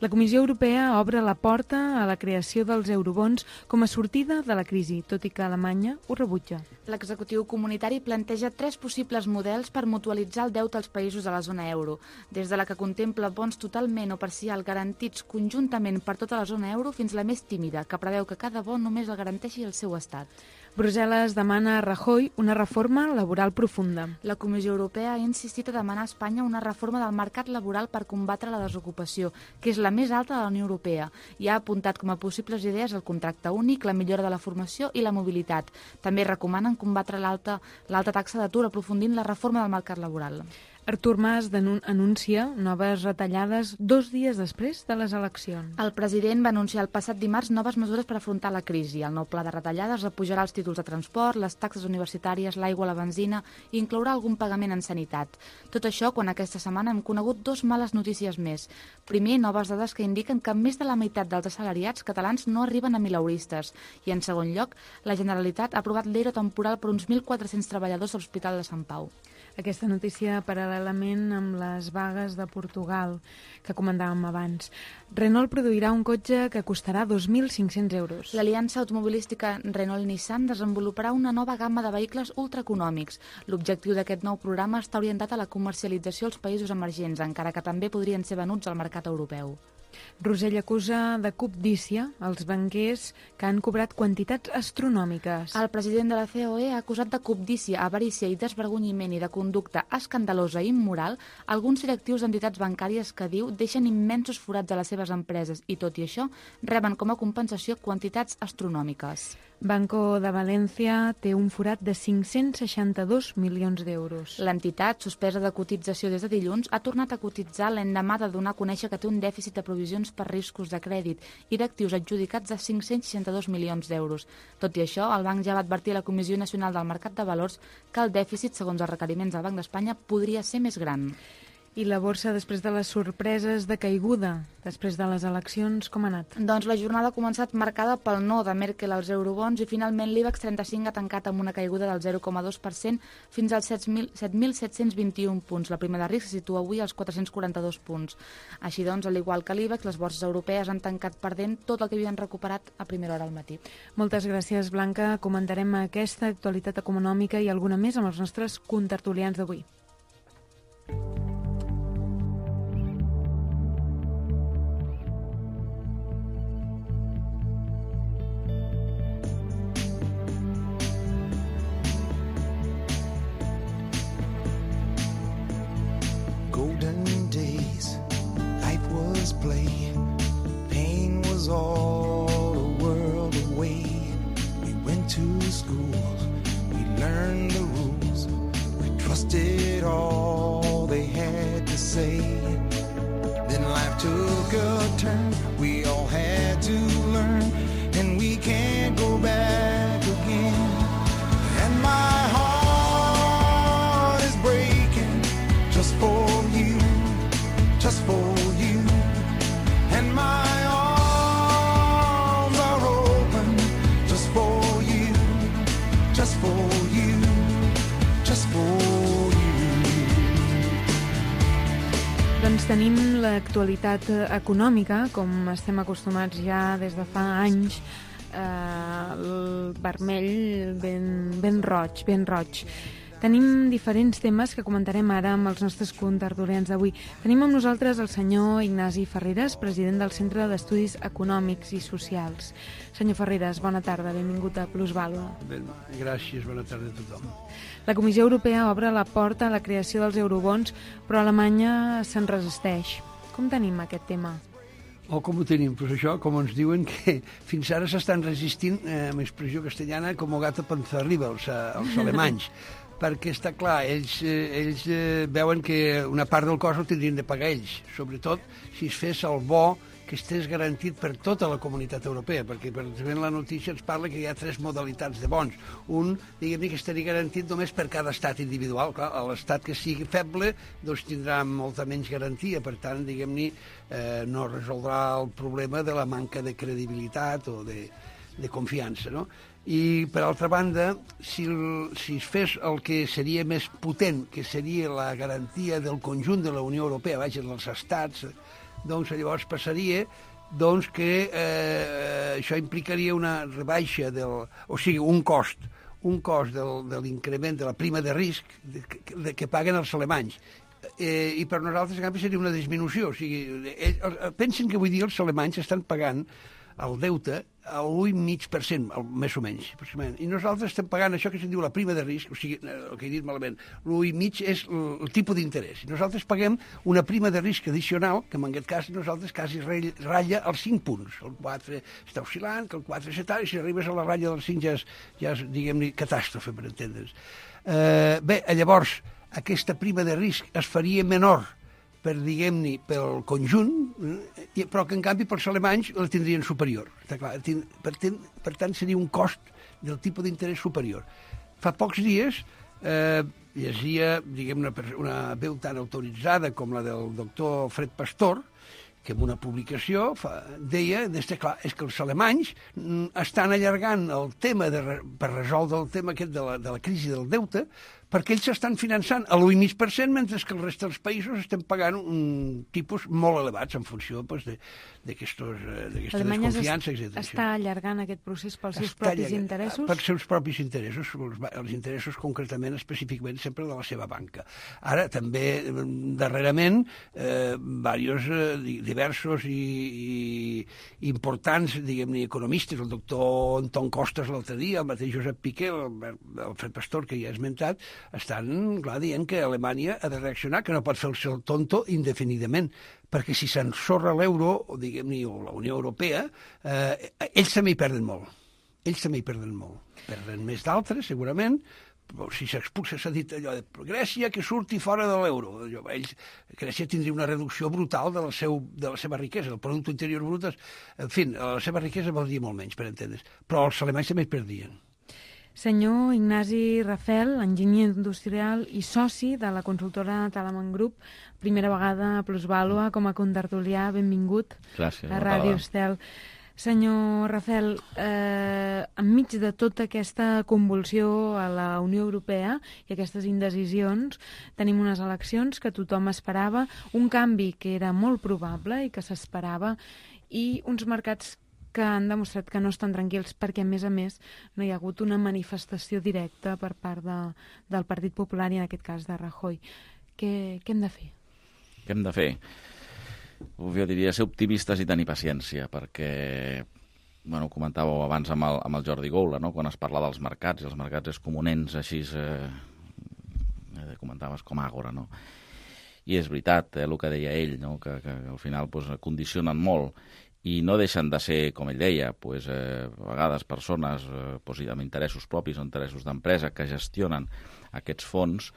La Comissió Europea obre la porta a la creació dels eurobons com a sortida de la crisi, tot i que Alemanya ho rebutja. L'executiu comunitari planteja 3 possibles models per mutualitzar el deute als països de la zona euro, des de la que contempla bons totalment o parcial garantits conjuntament per tota la zona euro fins a la més tímida, que preveu que cada bon només el garanteixi el seu estat. Brussel·les demana a Rajoy una reforma laboral profunda. La Comissió Europea ha insistit a demanar a Espanya una reforma del mercat laboral per combatre la desocupació, que és la més alta de la Unió Europea, i ha apuntat com a possibles idees el contracte únic, la millora de la formació i la mobilitat. També recomanen combatre l'alta taxa d'atur aprofundint la reforma del mercat laboral. Artur Mas anuncia noves retallades 2 dies després de les eleccions. El president va anunciar el passat dimarts noves mesures per afrontar la crisi. El nou pla de retallades repujarà els títols de transport, les taxes universitàries, l'aigua, la benzina i inclourà algun pagament en sanitat. Tot això quan aquesta setmana hem conegut 2 males notícies més. Primer, noves dades que indiquen que més de la meitat dels assalariats catalans no arriben a mileuristes. I en segon lloc, la Generalitat ha aprovat l'ERO temporal per uns 1.400 treballadors de l'Hospital de Sant Pau. Aquesta notícia paral·lelament amb les vagues de Portugal que comentàvem abans. Renault produirà un cotxe que costarà 2.500 euros. L'aliança automobilística Renault-Nissan desenvoluparà una nova gamma de vehicles ultraeconòmics. L'objectiu d'aquest nou programa està orientat a la comercialització als països emergents, encara que també podrien ser venuts al mercat europeu. Rosell acusa de cobdícia els banquers que han cobrat quantitats astronòmiques. El president de la COE ha acusat de cobdícia, avarícia i desvergonyiment i de conducta escandalosa i immoral alguns directius d'entitats bancàries que, diu, deixen immensos forats a les seves empreses i, tot i això, reben com a compensació quantitats astronòmiques. Banco de València té un forat de 562 milions d'euros. L'entitat, suspesa de cotització des de dilluns, ha tornat a cotitzar l'endemà de donar a conèixer que té un dèficit de provisions per riscos de crèdit i d'actius adjudicats de 562 milions d'euros. Tot i això, el banc ja va advertir a la Comissió Nacional del Mercat de Valors que el dèficit, segons els requeriments del Banc d'Espanya, podria ser més gran. I la borsa, després de les sorpreses de caiguda, després de les eleccions, com ha anat? Doncs la jornada ha començat marcada pel no de Merkel als eurobons i finalment l'IBEX 35 ha tancat amb una caiguda del 0,2% fins als 7.721 punts. La prima de risc se situa avui als 442 punts. Així doncs, al igual que l'IBEX, les borses europees han tancat perdent tot el que havien recuperat a primera hora al matí. Moltes gràcies, Blanca. Comentarem aquesta actualitat econòmica i alguna més amb els nostres contertulians d'avui. Golden days, life was play, pain was all the world away. We went to school, we learned the rules, we trusted all they had to say. Then life took a turn, we all had to learn, and we can't go back again. And my heart is breaking just for just for you, and my arms are open just for you, just for you, just for you. Doncs tenim l'actualitat econòmica, com estem acostumats ja des de fa anys, el vermell ben roig. Tenim diferents temes que comentarem ara amb els nostres contertulians d'avui. Tenim amb nosaltres el senyor Ignasi Ferreres, president del Centre d'Estudis Econòmics i Socials. Senyor Ferreres, bona tarda, benvingut a Plusvàlua. Gràcies, bona tarda a tothom. La Comissió Europea obre la porta a la creació dels eurobons, però Alemanya se'n resisteix. Com tenim aquest tema? Com ho tenim? Pues això, com ens diuen que fins ara s'estan resistint, amb expressió castellana, com gata panzarriba, els alemanys. Perquè està clar, ells veuen que una part del cost el tindrien de pagar ells, sobretot si es fes el bo que estés garantit per tota la comunitat europea, perquè per exemple la notícia ens parla que hi ha 3 modalitats de bons. Un, diguem-ne, que estaria garantit només per cada estat individual. Clar, l'estat que sigui feble doncs tindrà molta menys garantia, per tant, diguem-ne, no resoldrà el problema de la manca de credibilitat o de confiança, no? I, per altra banda, si es fes el que seria més potent, que seria la garantia del conjunt de la Unió Europea, vaja, dels estats, doncs llavors passaria que això implicaria una rebaixa o sigui, un cost de l'increment de la prima de risc que paguen els alemanys. I per nosaltres, en canvi, seria una disminució. O sigui, pensen que avui dia els alemanys estan pagant el deute a l'1,5%, més o menys. I nosaltres estem pagant això que se'n diu la prima de risc, o sigui, el que he dit malament, l'1,5% és el tipus d'interès. I nosaltres paguem una prima de risc addicional, que en aquest cas nosaltres quasi ratlla els 5 punts. El 4 està oscil·lant, que el 4 és tal, i si arribes a la ratlla dels 5 ja és, diguem-ne, catàstrofe, per entendre's. Bé, llavors, aquesta prima de risc es faria menor diguem-ne, pel conjunt, però que en canvi pels alemanys la tindrien superior. Està clar. Per tant, seria un cost del tipus d'interès superior. Fa pocs dies llegia, diguem, una veu tan autoritzada com la del doctor Fred Pastor, que en una publicació deia clar, és que els alemanys estan allargant el tema per resoldre el tema aquest de la crisi del deute, perquè ells s'estan finançant a l'1,5%, mentre que el rest dels països estem pagant un tipus molt elevats en funció d'aquesta desconfiança, etc. Està allargant aquest procés pels seus propis interessos? Pels seus propis interessos, els interessos concretament, específicament, sempre de la seva banca. Ara, també, darrerament, diversos i importants, diguem-ne, economistes, el doctor Anton Costas l'altre dia, el mateix Josep Piqué, el Fred Pastor, que ja he esmentat, estan, clar, dient que Alemanya ha de reaccionar, que no pot fer el seu tonto indefinidament, perquè si s'ensorra l'euro, o diguem-ne, o la Unió Europea, ells també hi perden molt. Perden més d'altres, segurament. Si s'expulsa, s'ha dit allò de Grècia que surti fora de l'euro. Grècia tindria una reducció brutal de la seva riquesa, del producte interior brut. En fi, la seva riquesa valdria molt menys, per entendre's. Però els alemanys també hi perdien. Senyor Ignasi Rafel, enginyer industrial i soci de la consultora Talaman Group, primera vegada a Plusvàlua com a contertulià, benvingut. Gràcies, a Ràdio Estel. Senyor Rafel, enmig de tota aquesta convulsió a la Unió Europea i aquestes indecisions, tenim unes eleccions que tothom esperava, un canvi que era molt probable i que s'esperava, i uns mercats que han demostrat que no estan tranquils perquè, a més, no hi ha hagut una manifestació directa per part del Partit Popular i, en aquest cas, de Rajoy. Què hem de fer? Què hem de fer? Jo diria ser optimistes i tenir paciència, perquè, ho comentàveu abans amb el Jordi Goula, no? Quan es parla dels mercats, i els mercats és com un ens així, comentaves com Àgora, no? I és veritat, el que deia ell, no? Que al final condicionen molt, i no deixen de ser, com ell deia, a vegades persones amb interessos propis o interessos d'empresa que gestionen aquests fons.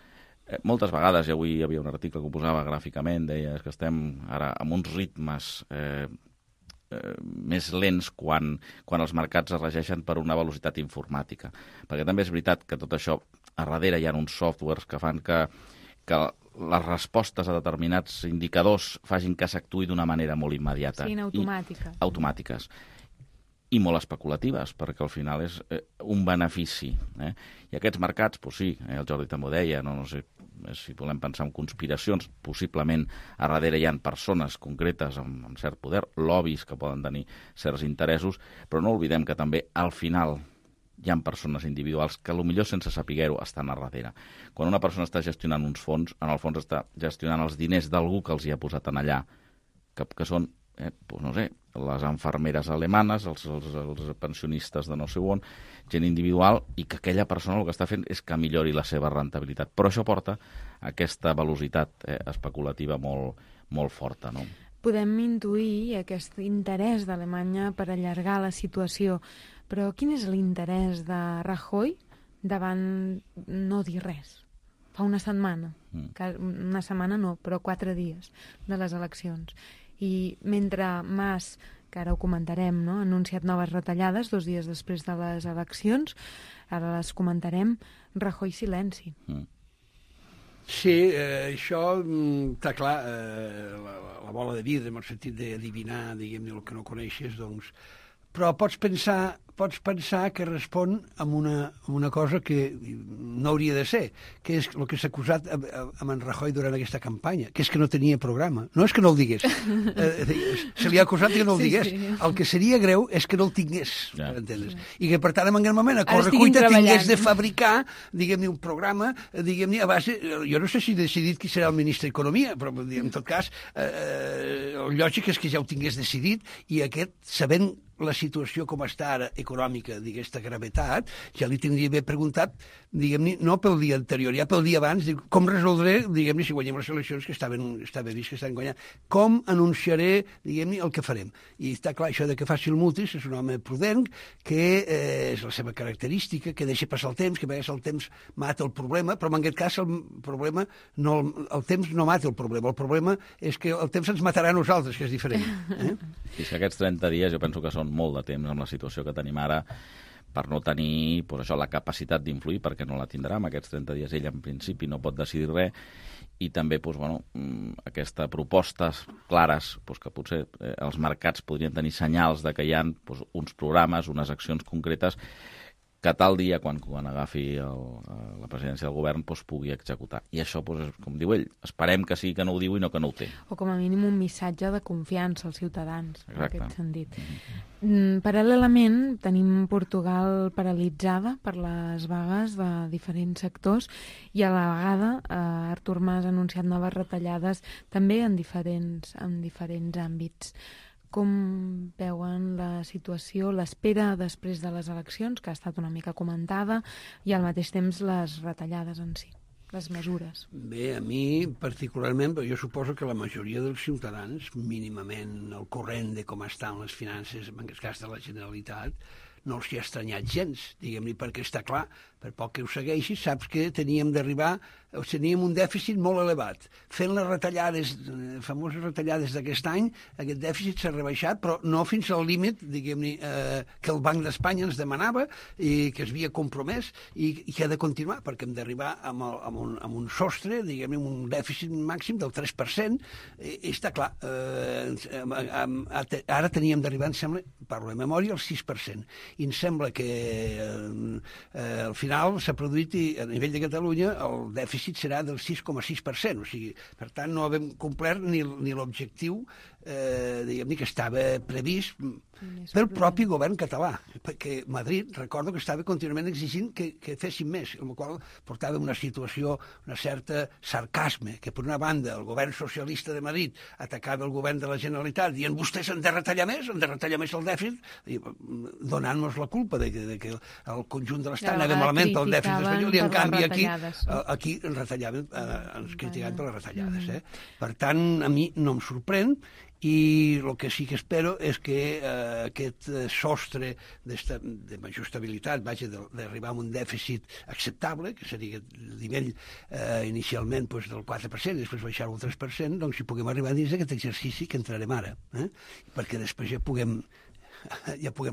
Moltes vegades, i avui hi havia un article que ho posava gràficament, deia que estem ara amb uns ritmes més lents quan els mercats es regeixen per una velocitat informàtica. Perquè també és veritat que tot això, a darrere hi ha uns softwares que fan que les respostes a determinats indicadors facin que s'actuï d'una manera molt immediata. Siguin automàtiques. Automàtiques. I molt especulatives, perquè al final és un benefici. I aquests mercats, sí, el Jordi també ho deia, no sé si volem pensar en conspiracions, possiblement a darrere hi ha persones concretes amb cert poder, lobbies que poden tenir certs interessos, però no oblidem que també al final hi ha persones individuals que potser sense saber-ho estan a darrere. Quan una persona està gestionant uns fons, en el fons està gestionant els diners d'algú que els hi ha posat en allà, que són, les infermeres alemanes, els pensionistes de no sé on, gent individual, i que aquella persona el que està fent és que millori la seva rentabilitat. Però això porta a aquesta velocitat especulativa molt forta, no? Podem intuir aquest interès d'Alemanya per allargar la situació, però quin és l'interès de Rajoy davant no dir res? Fa una setmana, una setmana no, però 4 dies de les eleccions. I mentre Mas, que ara ho comentarem, no?, ha anunciat noves retallades 2 dies després de les eleccions, ara les comentarem, Rajoy silenci. Sí, això està clar, la bola de vidre, en el sentit d'adivinar, diguem-ne, el que no coneixes, doncs... Però pots pensar pots pensar que respon amb una cosa que no hauria de ser, que és el que s'ha acusat a en Rajoy durant aquesta campanya, que és que no tenia programa. No és que no el digués. Se li ha acusat que no el digués. El que seria greu és que no el tingués, per entendre's. I que, per tant, en aquest moment, a correcuita tingués de fabricar, diguem-ne, un programa, diguem-ne, a base... Jo no sé si he decidit qui serà el ministre d'Economia, però, en tot cas, el lògic és que ja ho tingués decidit i aquest, sabent la situació com està ara econòmica d'aquesta gravetat, ja li tindria bé preguntat, diguem-ne, no pel dia anterior, ja pel dia abans, com resoldré, diguem-ne, si guanyem les eleccions, que està bé vist que estan guanyant, com anunciaré, diguem-ne, el que farem. I està clar, això de que faci el mutis, és un home prudent, que és la seva característica, que deixa passar el temps, que a vegades el temps mata el problema, però en aquest cas el temps no mata el problema és que el temps ens matarà a nosaltres, que és diferent. És que aquests 30 dies jo penso que són molt de temps amb la situació que tenim ara per no tenir la capacitat d'influir, perquè no la tindrà. En aquests 30 dies ell, en principi, no pot decidir res, i també aquestes propostes clares, que potser els mercats podrien tenir senyals de que hi ha uns programes, unes accions concretes que tal dia, quan agafi la presidència del govern, pugui executar. I això, com diu ell, esperem que sí que no ho diu i no que no ho té. O com a mínim un missatge de confiança als ciutadans, en aquest sentit. Paral·lelament, tenim Portugal paralitzada per les vagues de diferents sectors i a la vegada Artur Mas ha anunciat noves retallades també en diferents àmbits. Com veuen la situació, l'espera després de les eleccions, que ha estat una mica comentada, i al mateix temps les retallades en si, les mesures? Bé, a mi particularment, però jo suposo que la majoria dels ciutadans, mínimament al corrent de com estan les finances, en aquest cas de la Generalitat, no els hi ha estranyat gens, diguem-ne, perquè està clar, per poc que ho segueixis, saps que teníem un dèficit molt elevat. Fent les retallades, famoses retallades d'aquest any, aquest dèficit s'ha rebaixat, però no fins al límit, diguem-ne, que el Banc d'Espanya ens demanava i que es havia compromès i que ha de continuar, perquè hem d'arribar amb un sostre, diguem-ne, un dèficit màxim del 3%, i està clar, ara teníem d'arribar, em sembla, parlo de memòria, al 6%, i em sembla que al final s'ha produït i a nivell de Catalunya el dèficit serà del 6,6%, o sigui, per tant no hem complert ni l'objectiu diguem-ne que estava previst pel propi govern català, perquè Madrid, recordo que estava contínuament exigint que fessin més, amb la qual portava una situació, una certa sarcasme, que per una banda el govern socialista de Madrid atacava el govern de la Generalitat dient vostès han de retallar més el dèficit, donant-nos la culpa de que el conjunt de l'Estat anava malament el dèficit espanyol, i en canvi aquí ens criticaven per les retallades. Per tant, a mi no em sorprèn, i el que sí que espero és que aquest sostre de major estabilitat, d'arribar a un dèficit acceptable, que seria el nivell inicialment del 4%, i després baixar-ho al 3%, doncs si puguem arribar dins d'aquest exercici que entrarem ara, perquè després ja puguem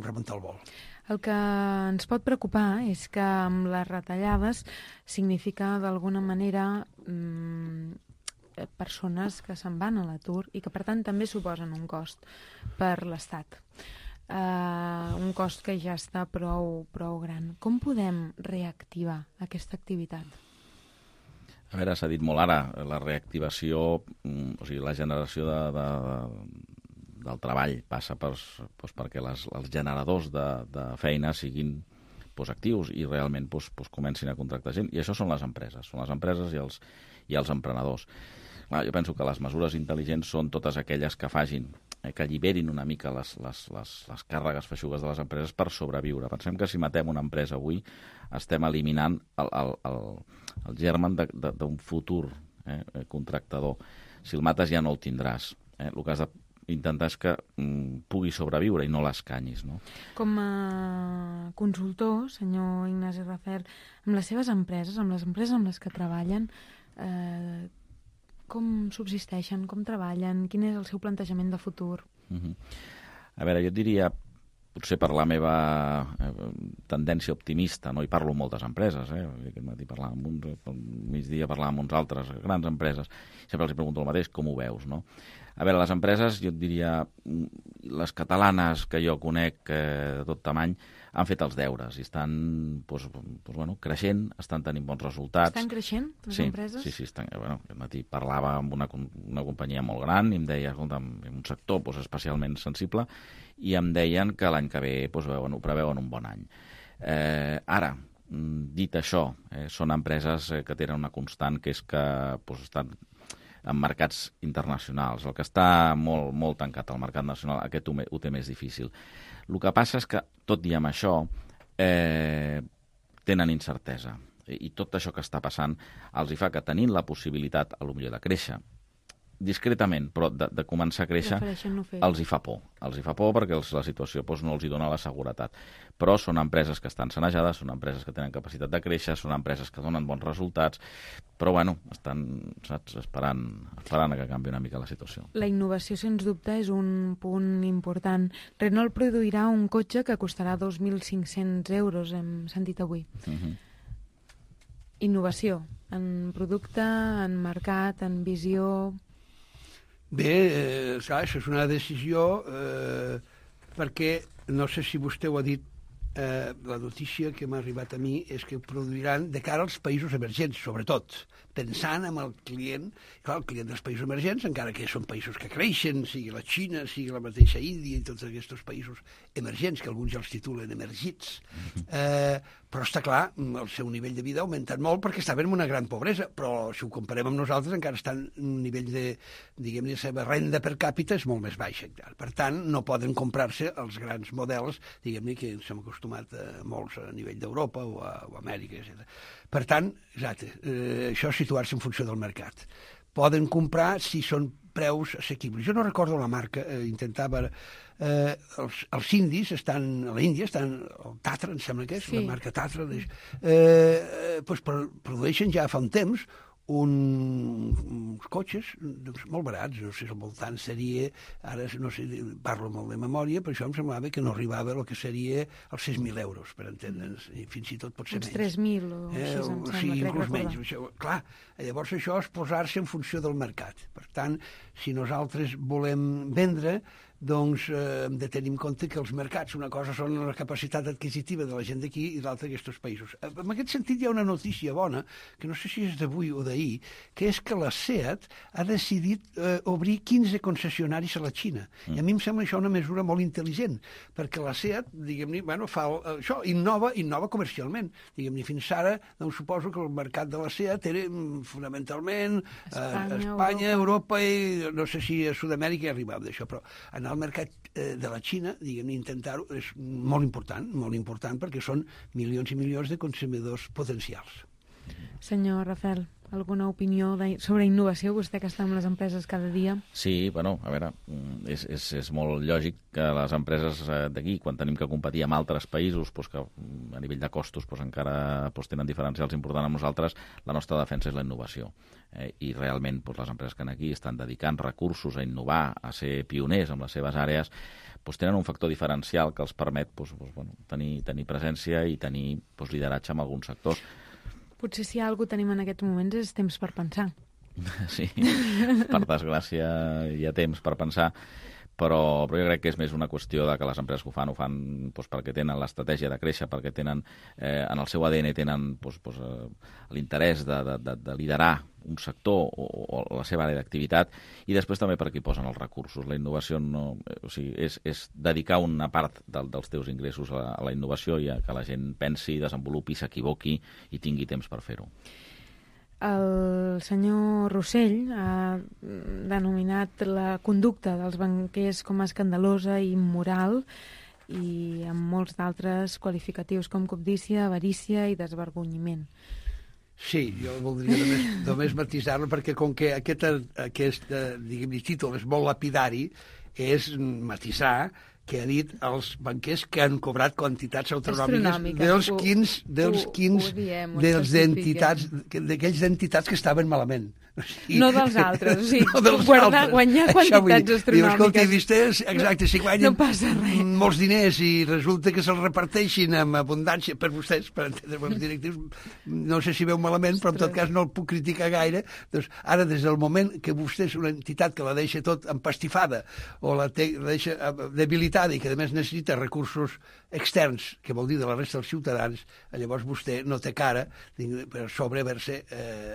remuntar el vol. El que ens pot preocupar és que amb les retallades significa d'alguna manera persones que se'n van a l'atur i que per tant també suposen un cost per l'Estat. Un cost que ja està prou gran. Com podem reactivar aquesta activitat? A veure, s'ha dit molt ara, la reactivació, o sigui, la generació del treball passa perquè els generadors de feina siguin actius i realment comencin a contractar gent, i això són les empreses i els emprenedors. Jo penso que les mesures intel·ligents són totes aquelles que facin, que alliberin una mica les càrregues feixugues de les empreses per sobreviure. Pensem que si matem una empresa avui estem eliminant el germen d'un futur contractador. Si el mates ja no el tindràs. El que has d'intentar és que pugui sobreviure i no l'escanyis, no? Com a consultor, senyor Ignasi Rafel, amb les seves empreses, amb les empreses amb les que treballen, com subsisteixen, com treballen, quin és el seu plantejament de futur? A veure, jo diria, potser per la meva tendència optimista, no? I parlo amb moltes empreses, aquest matí parlàvem amb uns, al migdia parlàvem amb uns altres, grans empreses, sempre els pregunto el mateix, com ho veus, no? A veure, les empreses, jo et diria, les catalanes que jo conec de tot tamany, han fet els deures i estan creixent, estan tenint bons resultats. Estan creixent, les empreses? Sí, estan. Aquest matí parlava amb una companyia molt gran i em deia, escolta, en un sector especialment sensible, i em deien que l'any que ve ho preveuen un bon any. Ara, dit això, són empreses que tenen una constant, que és que estan en mercats internacionals. El que està molt, molt tancat al mercat nacional, aquest ho té més difícil. El que passa és que, tot i amb això, tenen incertesa. I tot això que està passant els hi fa que, tenint la possibilitat, potser de créixer, discretament, però de començar a créixer, els hi fa por. Els hi fa por perquè la situació no els hi dona la seguretat. Però són empreses que estan sanejades, són empreses que tenen capacitat de créixer, són empreses que donen bons resultats, però estan esperant a que canvi una mica la situació. La innovació, sens dubte, és un punt important. Renault produirà un cotxe que costarà 2.500 euros, hem sentit avui. Innovació, en producte, en mercat, en visió... Bé, clar, això és una decisió perquè, no sé si vostè ho ha dit, la notícia que m'ha arribat a mi és que produiran de cara als països emergents, sobretot, pensant en el client, clar, el client dels països emergents, encara que són països que creixen, sigui la Xina, sigui la mateixa Índia i tots aquests països emergents, que alguns ja els titulen emergits, però està clar, el seu nivell de vida ha augmentat molt perquè estaven en una gran pobresa, però si ho comparem amb nosaltres encara estan en un nivell de, diguem-ne, la seva renda per càpita és molt més baixa. Per tant, no poden comprar-se els grans models, diguem-ne, que ens hem acostumat a molts a nivell d'Europa o a Amèrica, etc. Per tant, exacte, això és situar-se en funció del mercat. Poden comprar si són preus assequibles. Jo no recordo la marca, intentava... els indis estan, a l'Índia estan, el Tatra, em sembla que és, la marca Tatra, produeixen ja fa un temps uns cotxes molt barats, no sé, al voltant seria, ara no sé, parlo molt de memòria, però això em semblava que no arribava el que seria els 6.000 euros, per entendre'ns, i fins i tot pot ser menys. Uns 3.000 o així, em sembla, sí, inclús menys. Això, clar, llavors això és posar-se en funció del mercat. Per tant, si nosaltres volem vendre, doncs hem de tenir en compte que els mercats, una cosa són la capacitat adquisitiva de la gent d'aquí i l'altra d'aquests països. En aquest sentit hi ha una notícia bona, que no sé si és d'avui o d'ahir, que és que la SEAT ha decidit obrir 15 concessionaris a la Xina. I a mi em sembla això una mesura molt intel·ligent, perquè la SEAT, diguem-ne, fa això, innova comercialment. Diguem-ne, fins ara, doncs suposo que el mercat de la SEAT era fonamentalment Espanya, Europa i no sé si a Sud-amèrica arribava d'això, però en el mercat de la Xina, diguem-ne, intentar-ho és molt important perquè són milions i milions de consumidors potencials. Senyor Rafel, alguna opinió sobre innovació, vostè que està amb les empreses cada dia? Sí, bueno, a veure, és molt lògic que les empreses d'aquí, quan tenim que competir amb altres països, que a nivell de costos encara tenen diferencials importants amb nosaltres, la nostra defensa és la innovació. I realment les empreses que aquí estan dedicant recursos a innovar, a ser pioners en les seves àrees, tenen un factor diferencial que els permet tenir presència i tenir lideratge en alguns sectors. Potser si hi ha alguna cosa tenim en aquests moments és temps per pensar. Sí, per desgràcia hi ha temps per pensar, però jo crec que és més una qüestió de que les empreses que ho fan perquè tenen l'estratègia de créixer, perquè tenen en el seu ADN l'interès de liderar un sector o la seva àrea d'activitat, i després també perquè hi posen els recursos. La innovació és dedicar una part dels teus ingressos a la innovació i a que la gent pensi, desenvolupi, s'equivoqui i tingui temps per fer-ho. El senyor Rossell ha denominat la conducta dels banquers com a escandalosa i immoral i amb molts d'altres qualificatius com cobdícia, avarícia i desvergonyiment. Sí, jo voldria només matisar-lo perquè com que aquest títol és molt lapidari, és matisar que ha dit als banquers que han cobrat quantitats Astronòmiques. d'aquells entitats que estaven malament. O sigui, No dels altres, o sigui, no dels guanyar altres. Això vull dir. quantitats Diu, escolti, astronòmiques. vostès, exacte, si guanyen No passa res. molts diners i resulta que se'ls reparteixin amb abundància per vostès, per entendre els directius, no sé si veu malament, però en tot cas no el puc criticar gaire. Doncs ara, des del moment que vostè és una entitat que la deixa tot empastifada o la deixa debilitada i que a més necessita recursos externs, que vol dir de la resta dels ciutadans, llavors vostè no té cara per sobre haver-se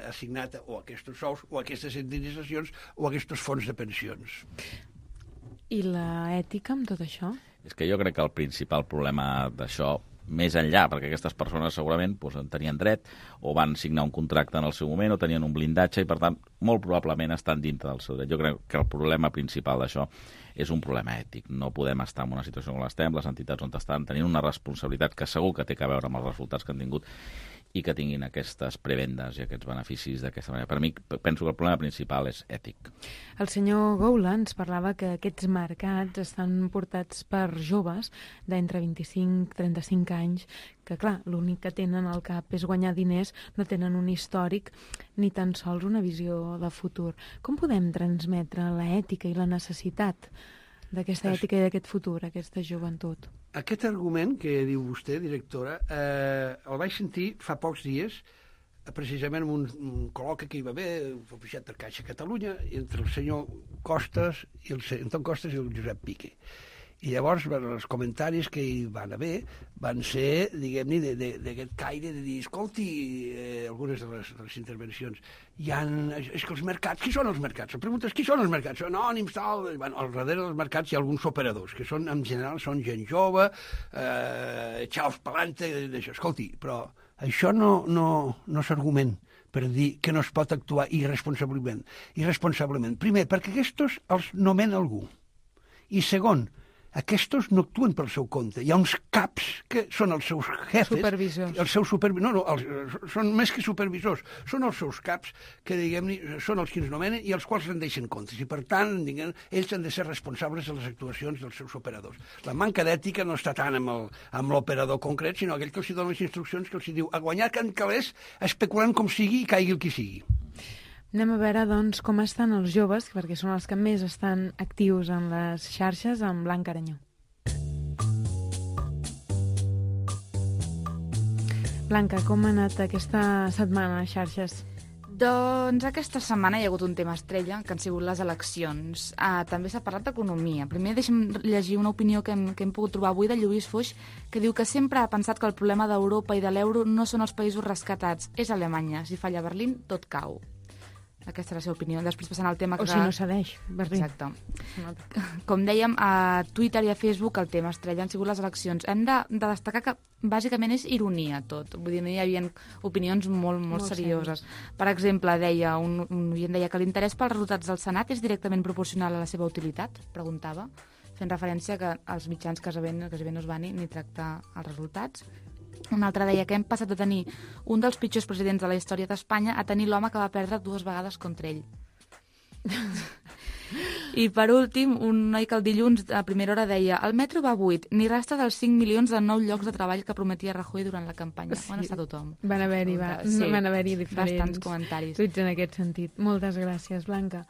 assignat o aquests sous o aquestes indemnitzacions o aquests fons de pensions. I la ètica amb tot això? És que jo crec que el principal problema d'això, més enllà, perquè aquestes persones segurament en tenien dret o van signar un contracte en el seu moment o tenien un blindatge i, per tant, molt probablement estan dintre del seu dret. Jo crec que el problema principal d'això és un problema ètic. No podem estar en una situació com l'estem, les entitats on estan tenint una responsabilitat que segur que té a veure amb els resultats que han tingut i que tinguin aquestes prebendes i aquests beneficis d'aquesta manera. Per mi, penso que el problema principal és ètic. El senyor Goula ens parlava que aquests mercats estan portats per joves d'entre 25 i 35 anys que, clar, l'únic que tenen al cap és guanyar diners, no tenen un històric ni tan sols una visió de futur. Com podem transmetre l'ètica i la necessitat d'aquesta ètica i d'aquest futur, aquesta joventut? Aquest argument que diu vostè, directora, el vaig sentir fa pocs dies, precisament en un col·loqui que hi va haver, oficiat per Caixa Catalunya, entre el senyor Costas, Anton Costas i el Josep Piqué. I llavors els comentaris que hi van haver van ser, diguem-ne, d'aquest caire de dir, escolti, algunes de les intervencions, és que els mercats, qui són els mercats? La pregunta és, qui són els mercats? Són anònims, tal... Bueno, al darrere dels mercats hi ha alguns operadors, que són, en general, són gent jove, xaus pelante, d'això. Escolti, però això no s'argument per dir que no es pot actuar irresponsablement. Primer, perquè aquests els nomena algú. I segon, aquests no actuen pel seu compte. Hi ha uns caps que són els seus jefes. Supervisors. Són més que supervisors. Són els seus caps que, diguem-ne, són els que ens nomenen i els quals rendeixen comptes. I, per tant, ells han de ser responsables de les actuacions dels seus operadors. La manca d'ètica no està tant amb l'operador concret, sinó aquell que els dona les instruccions, que els diu a guanyar can calés, especulant com sigui i caigui el qui sigui. Anem a veure, doncs, com estan els joves, perquè són els que més estan actius en les xarxes, amb Blanca Aranyó. Blanca, com ha anat aquesta setmana a xarxes? Doncs aquesta setmana hi ha hagut un tema estrella, que han sigut les eleccions. També s'ha parlat d'economia. Primer deixem llegir una opinió que hem pogut trobar avui de Lluís Foix, que diu que sempre ha pensat que el problema d'Europa i de l'euro no són els països rescatats, és Alemanya. Si falla Berlín, tot cau. Aquesta és la seva opinió. Després passant al tema que... O si no cedeix, Berlín. Exacte. Com dèiem, a Twitter i a Facebook el tema estrella han sigut les eleccions. Hem de destacar que bàsicament és ironia tot. Vull dir, no hi havia opinions molt serioses. Per exemple, un oient deia que l'interès pels resultats del Senat és directament proporcional a la seva utilitat, preguntava, fent referència que els mitjans quasi no es van ni tractar els resultats. Un altre deia que hem passat de tenir un dels pitjors presidents de la història d'Espanya a tenir l'home que va perdre 2 vegades contra ell. I per últim, un noi que el dilluns a primera hora deia el metro va buit, ni rastre dels 5 milions de nous llocs de treball que prometia Rajoy durant la campanya. Sí. On està tothom? Van haver-hi diferents bastants comentaris. tuits en aquest sentit. Moltes gràcies, Blanca.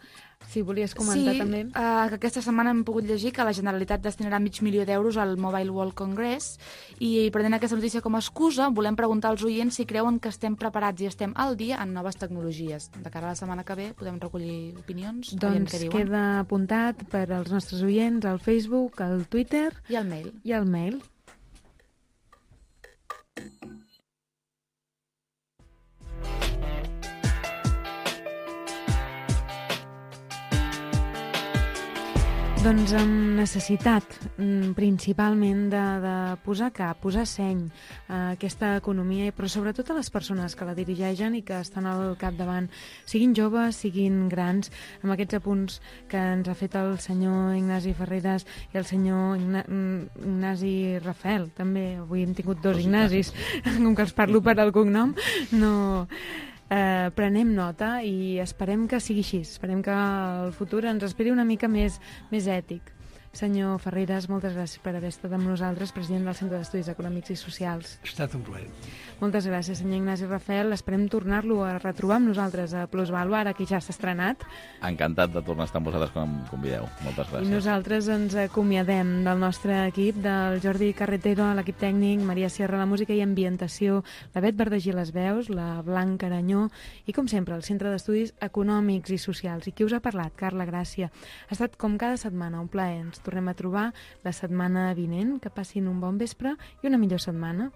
Si volies comentar també... que aquesta setmana hem pogut llegir que la Generalitat destinarà $500,000 al Mobile World Congress i prenent aquesta notícia com a excusa volem preguntar als oients si creuen que estem preparats i estem al dia en noves tecnologies. De cara a la setmana que ve podem recollir opinions. Doncs queda apuntat per als nostres oients al Facebook, al Twitter i al mail. Doncs amb necessitat principalment de posar cap, posar seny a aquesta economia, però sobretot a les persones que la dirigeixen i que estan al capdavant, siguin joves, siguin grans, amb aquests apunts que ens ha fet el senyor Ignasi Ferreras i el senyor Ignasi Rafael, també, avui hem tingut 2 Ignasis, com que els parlo per al cognom, no... prenem nota i esperem que sigui així, esperem que el futur ens esperi una mica més ètic. Senyor Ferreres, moltes gràcies per haver estat amb nosaltres, president del Centre d'Estudis Econòmics i Socials. Ha estat un plaer. Moltes gràcies, senyor Ignasi Rafel. Esperem tornar-lo a retrobar amb nosaltres a Plusvalua, ara que ja s'ha estrenat. Encantat de tornar a estar amb vosaltres quan em convideu. Moltes gràcies. I nosaltres ens acomiadem del nostre equip, del Jordi Carretero, l'equip tècnic, Maria Sierra, la música i ambientació, la Bet Verdagí, les veus, la Blanca Aranyó i, com sempre, el Centre d'Estudis Econòmics i Socials. I qui us ha parlat? Carla Gràcia. Ha estat, com cada setmana, un plaer. Ens tornem a trobar la setmana vinent. Que passin un bon vespre i una millor setmana.